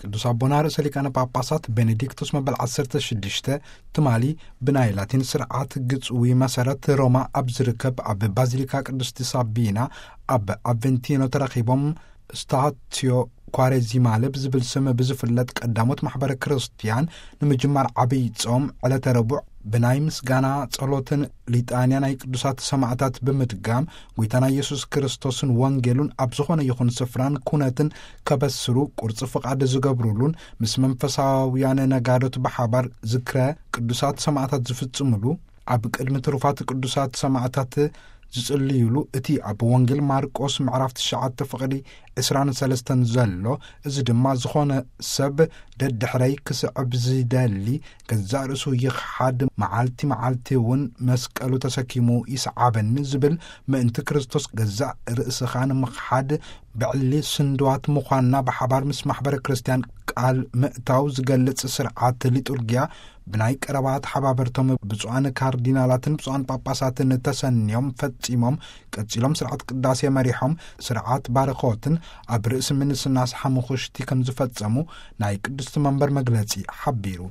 ቅዱስ ኣቦና ርእሰ ሊቃነ ጳጳሳት ቤኔዲክቶስ መበል ዓሰርተ ሽዱሽተ ትማሊ ብናይ ላቲን ስርዓት ግጽዊ መሰረት ሮማ ኣብ ዝርከብ ኣብ ባዚሊካ ቅድስቲ ሳቢና ኣብ ኣቨንቲኖ ተረኺቦም፣ ስታትዮ ኳሬዚማለ ብዝብል ስም ብዝፍለጥ ቀዳሞት ማሕበረ ክርስትያን ንምጅማር ዓብይ ጾም ዕለተ ረቡዕ ብናይ ምስጋና ጸሎትን ሊጣንያ ናይ ቅዱሳት ሰማዕታት ብምድጋም፣ ጎይታና ኢየሱስ ክርስቶስን ወንጌሉን ኣብ ዝኾነ ይኹን ስፍራን ኩነትን ከበስሩ ቁርጽ ፍቓድ ዝገብሩሉን ምስ መንፈሳውያን ነጋዶት ብሓባር ዝክረ ቅዱሳት ሰማዕታት ዝፍጽሙሉ፣ ኣብ ቅድሚ ትሩፋት ቅዱሳት ሰማዕታት ዝጽልዩሉ፣ እቲ ኣብ ወንጌል ማርቆስ ምዕራፍ ትሽዓተ ፍቕዲ ዕስራን ሰለስተን ዘሎ፣ እዚ ድማ ዝኾነ ሰብ ደድሕረይ ክስዕብ ዝደሊ ገዛእ ርእሱ ይኽሓድ፣ መዓልቲ መዓልቲ እውን መስቀሉ ተሰኪሙ ይስዓበኒ ዝብል፣ ምእንቲ ክርስቶስ ገዛእ ርእስኻ ንምኽሓድ ብዕሊ ስንድዋት ምዃንና ብሓባር ምስ ማሕበረ ክርስትያን ቃል ምእታው ዝገልጽ ስርዓት ሊጡርጊያ ብናይ ቀረባ ተሓባበርቶም ብፁዓን ካርዲናላትን ብፁዓን ጳጳሳትን ተሰንዮም ፈጺሞም። ቀጺሎም ስርዓት ቅዳሴ መሪሖም ስርዓት ባርኾትን ኣብ ርእሲ ምንስናስ ሓሙኽሽቲ ከም ዝፈጸሙ ናይ ቅድስቲ መንበር መግለጺ ሓቢሩ።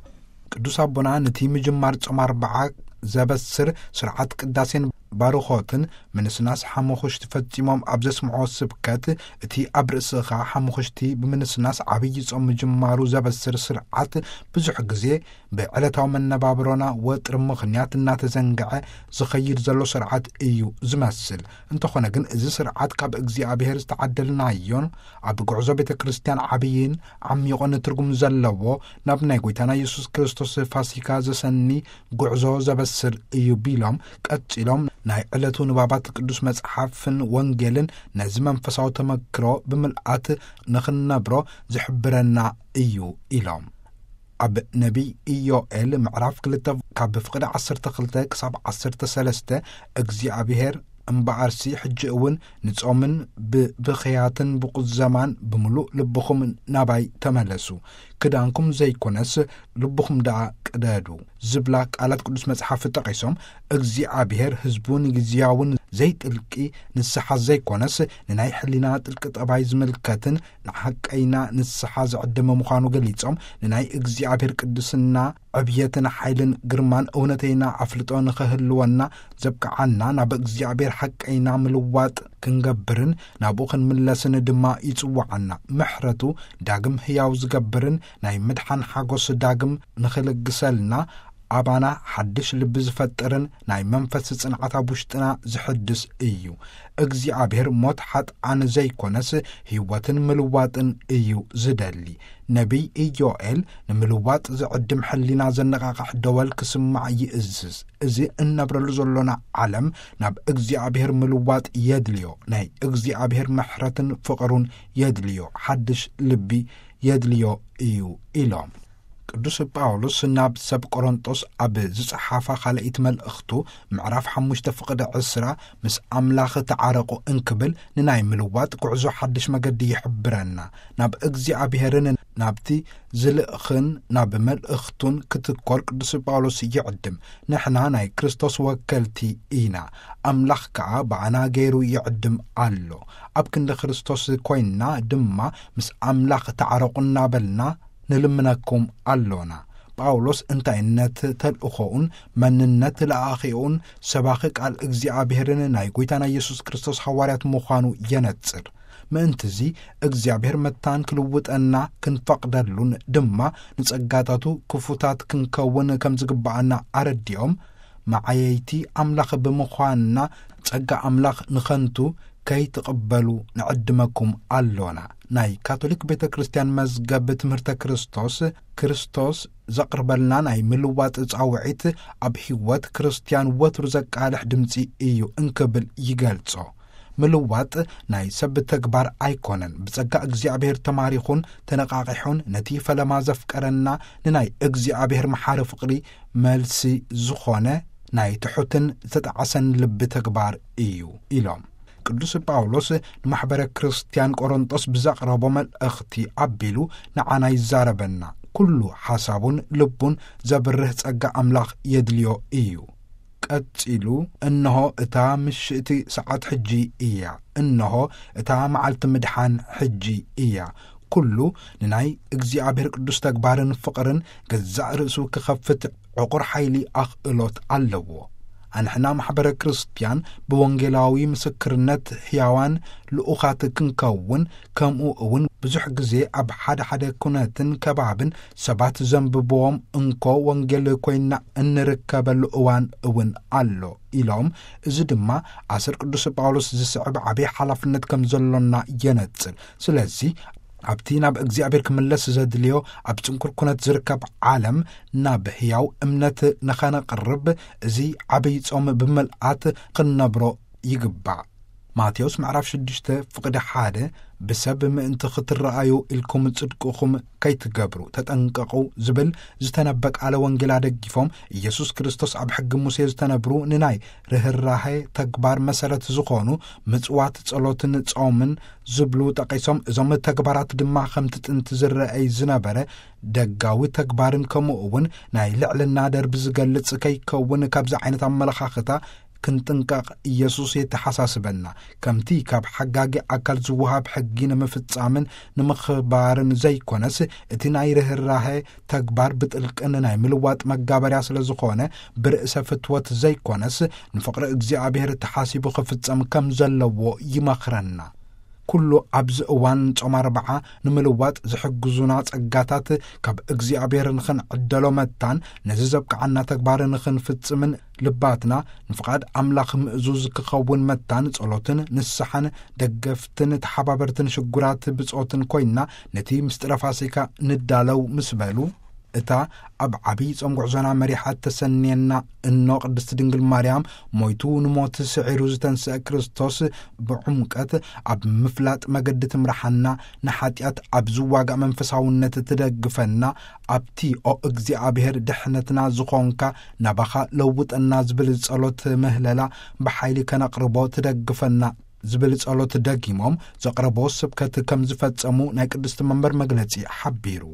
ቅዱስ ኣቦና ነቲ ምጅማር ጾም ኣርብዓ ዘበስር ስርዓት ቅዳሴን ባርኾትን ምንስናስ ሓሙኽሽቲ ፈጺሞም ኣብ ዘስምዖ ስብከት፣ እቲ ኣብ ርእስኻ ሓሙኽሽቲ ብምንስናስ ዓብዪ ጾም ምጅማሩ ዘበስር ስርዓት ብዙሕ ግዜ ብዕለታዊ መነባብሮና ወጥሪ ምኽንያት እናተዘንግዐ ዝኸይድ ዘሎ ስርዓት እዩ ዝመስል። እንተኾነ ግን፣ እዚ ስርዓት ካብ እግዚኣብሔር ዝተዓደልናዮን ኣብ ጉዕዞ ቤተ ክርስትያን ዓብይን ዓሚቑን ትርጉም ዘለዎ፣ ናብ ናይ ጎይታና ኢየሱስ ክርስቶስ ፋሲካ ዘሰኒ ጉዕዞ ዘበስር እዩ ቢሎም፣ ቀጺሎም ናይ ዕለቱ ንባባት ቅዱስ መጽሓፍን ወንጌልን ነዚ መንፈሳዊ ተመክሮ ብምልኣት ንኽንነብሮ ዝሕብረና እዩ ኢሎም። ኣብ ነቢይ ኢዮኤል ምዕራፍ ክልተ ካብ ፍቕዲ ዓሰርተ ክልተ ክሳብ ዓሰርተ ሰለስተ፣ እግዚኣብሔር እምበኣርሲ ሕጂ እውን ንጾምን ብብኽያትን ብቁዘማን ብምሉእ ልብኹም ናባይ ተመለሱ፣ ክዳንኩም ዘይኮነስ ልብኹም ደኣ ቅደዱ ዝብላ ቃላት ቅዱስ መጽሓፍ ጠቒሶም፣ እግዚኣብሔር ህዝቡ ንግዝያውን ዘይጥልቂ ንስሓ ዘይኮነስ ንናይ ሕሊና ጥልቂ ጠባይ ዝምልከትን ንሓቀይና ንስሓ ዝዕድም ምዃኑ ገሊጾም፣ ንናይ እግዚኣብሔር ቅድስና ዕብየትን ሓይልን ግርማን እውነተይና ኣፍልጦ ንኸህልወና ዘብቅዓና ናብ እግዚኣብሔር ሓቀይና ምልዋጥ ክንገብርን ናብኡ ክንምለስን ድማ ይጽውዓና። ምሕረቱ ዳግም ህያው ዝገብርን ናይ ምድሓን ሓጎስ ዳግም ንኽልግሰልና ኣባና ሓድሽ ልቢ ዝፈጥርን ናይ መንፈስ ጽንዓት ኣብ ውሽጥና ዝሕድስ እዩ። እግዚኣብሔር ሞት ሓጥኣን ዘይኮነስ ህይወትን ምልዋጥን እዩ ዝደሊ። ነቢይ ኢዮኤል ንምልዋጥ ዝዕድም ሕሊና ዘነቓቕሕ ደወል ክስማዕ ይእዝዝ። እዚ እነብረሉ ዘሎና ዓለም ናብ እግዚኣብሔር ምልዋጥ የድልዮ። ናይ እግዚኣብሔር ምሕረትን ፍቕሩን የድልዮ። ሓድሽ ልቢ የድልዮ እዩ ኢሎም። ቅዱስ ጳውሎስ ናብ ሰብ ቆሮንጦስ ኣብ ዝጸሓፋ ካልኣይቲ መልእኽቱ ምዕራፍ ሓሙሽተ ፍቕዲ ዕስራ፣ "ምስ ኣምላኽ ተዓረቑ" እንክብል ንናይ ምልዋጥ ጉዕዞ ሓድሽ መገዲ ይሕብረና። ናብ እግዚኣብሔርን ናብቲ ዝልእኽን ናብ መልእኽቱን ክትኮር ቅዱስ ጳውሎስ ይዕድም። ንሕና ናይ ክርስቶስ ወከልቲ ኢና፣ ኣምላኽ ከኣ ብኣና ገይሩ ይዕድም ኣሎ። ኣብ ክንዲ ክርስቶስ ኮይንና ድማ ምስ ኣምላኽ ተዓረቑ እናበልና ንልምነኩም ኣሎና። ጳውሎስ እንታይነት ተልእኾኡን መንነት ለኣኺኡን ሰባኺ ቃል እግዚኣብሔርን ናይ ጐይታና ኢየሱስ ክርስቶስ ሃዋርያት ምዃኑ የነጽር። ምእንትዚ እግዚኣብሔር መታን ክልውጠና ክንፈቕደሉን ድማ ንጸጋታቱ ክፉታት ክንከውን ከም ዝግብኣና ኣረዲኦም፣ መዓየይቲ ኣምላኽ ብምዃንና ጸጋ ኣምላኽ ንኸንቱ ከይትቕበሉ ንዕድመኩም ኣሎና። ናይ ካቶሊክ ቤተ ክርስቲያን መዝገብ ትምህርተ ክርስቶስ፣ ክርስቶስ ዘቕርበልና ናይ ምልዋጥ ጻውዒት ኣብ ሕይወት ክርስቲያን ወትሩ ዘቃልሕ ድምጺ እዩ እንክብል ይገልጾ። ምልዋጥ ናይ ሰብ ተግባር ኣይኮነን። ብጸጋ እግዚኣብሔር ተማሪኹን ተነቓቒሑን ነቲ ፈለማ ዘፍቀረና ንናይ እግዚኣብሔር መሓሪ ፍቕሪ መልሲ ዝኾነ ናይ ትሑትን ዝተጣዕሰን ልቢ ተግባር እዩ ኢሎም። ቅዱስ ጳውሎስ ንማሕበረ ክርስቲያን ቆሮንጦስ ብዘቕረቦ መልእኽቲ ኣቢሉ ንዓና ይዛረበና። ኩሉ ሓሳቡን ልቡን ዘብርህ ጸጋ ኣምላኽ የድልዮ እዩ። ቀጺሉ፣ "እንሆ እታ ምሽእቲ ሰዓት ሕጂ እያ፣ እንሆ እታ መዓልቲ ምድሓን ሕጂ እያ፣ ኩሉ ንናይ እግዚኣብሔር ቅዱስ ተግባርን ፍቕርን ገዛእ ርእሱ ክኸፍት ዕቑር ሓይሊ ኣኽእሎት ኣለዎ። ኣንሕና ማሕበረ ክርስትያን ብወንጌላዊ ምስክርነት ሕያዋን ልኡኻት ክንከውን፣ ከምኡ እውን ብዙሕ ግዜ ኣብ ሓደ ሓደ ኩነትን ከባብን ሰባት ዘንብብዎም እንኮ ወንጌል ኮይና እንርከበሉ እዋን እውን ኣሎ ኢሎም፣ እዚ ድማ ኣሰር ቅዱስ ጳውሎስ ዝስዕብ ዓብይ ሓላፍነት ከም ዘሎና የነጽር። ስለዚ ኣብቲ ናብ እግዚኣብሔር ክምለስ ዘድልዮ ኣብ ጽንኩር ኩነት ዝርከብ ዓለም ናብ ሕያው እምነት ንኸነቕርብ እዚ ዓብይ ጾም ብምልኣት ክንነብሮ ይግባእ። ማቴዎስ ምዕራፍ ሽዱሽተ ፍቕዲ ሓደ፣ ብሰብ ምእንቲ ክትረኣዩ ኢልኩም ጽድቅኹም ከይትገብሩ ተጠንቀቑ ዝብል ዝተነበ ቃለ ወንጌል ኣደጊፎም፣ ኢየሱስ ክርስቶስ ኣብ ሕጊ ሙሴ ዝተነብሩ ንናይ ርህራሄ ተግባር መሰረት ዝኾኑ ምጽዋት፣ ጸሎትን ጾምን ዝብሉ ጠቒሶም፣ እዞም ተግባራት ድማ ከምቲ ጥንቲ ዝረኣይ ዝነበረ ደጋዊ ተግባርን ከምኡ እውን ናይ ልዕልና ደርቢ ዝገልጽ ከይከውን ካብዚ ዓይነት ኣመለኻኽታ ክንጥንቀቕ ኢየሱስ የተሓሳስበና። ከምቲ ካብ ሓጋጊ ኣካል ዝወሃብ ሕጊ ንምፍጻምን ንምኽባርን ዘይኮነስ፣ እቲ ናይ ርህራሄ ተግባር ብጥልቅን ናይ ምልዋጥ መጋበርያ ስለ ዝኾነ፣ ብርእሰ ፍትወት ዘይኮነስ፣ ንፍቕሪ እግዚኣብሔር ተሓሲቡ ክፍጸም ከም ዘለዎ ይመኽረና። ኩሉ ኣብዚ እዋን ጾም ኣርብዓ ንምልዋጥ ዝሕግዙና ጸጋታት ካብ እግዚኣብሔር ንኽንዕደሎ መታን፣ ነዚ ዘብቅዓና ተግባር ንኽንፍጽምን ልባትና ንፍቓድ ኣምላኽ ምእዙዝ ክኸውን መታን፣ ጸሎትን ንስሓን ደገፍትን ተሓባበርትን ሽጉራት ብጾትን ኮይና፣ ነቲ ምስጢረ ፋሲካ ንዳለው ምስ በሉ፣ እታ ኣብ ዓብይ ጾም ጉዕዞና መሪሓ ተሰንየና እኖ ቅድስቲ ድንግል ማርያም፣ ሞይቱ ንሞት ስዒሩ ዝተንስአ ክርስቶስ ብዕምቀት ኣብ ምፍላጥ መገዲ ትምርሓና፣ ንሓጢኣት ኣብ ዝዋጋእ መንፈሳውነት ትደግፈና፣ ኣብቲ ኦ እግዚኣብሔር ድሕነትና ዝኾንካ ናባኻ ለውጠና ዝብል ጸሎት ምህለላ ብሓይሊ ከነቕርቦ ትደግፈና ዝብል ጸሎት ደጊሞም ዘቕረቦ ስብከት ከም ዝፈጸሙ ናይ ቅድስቲ መንበር መግለጺ ሓቢሩ።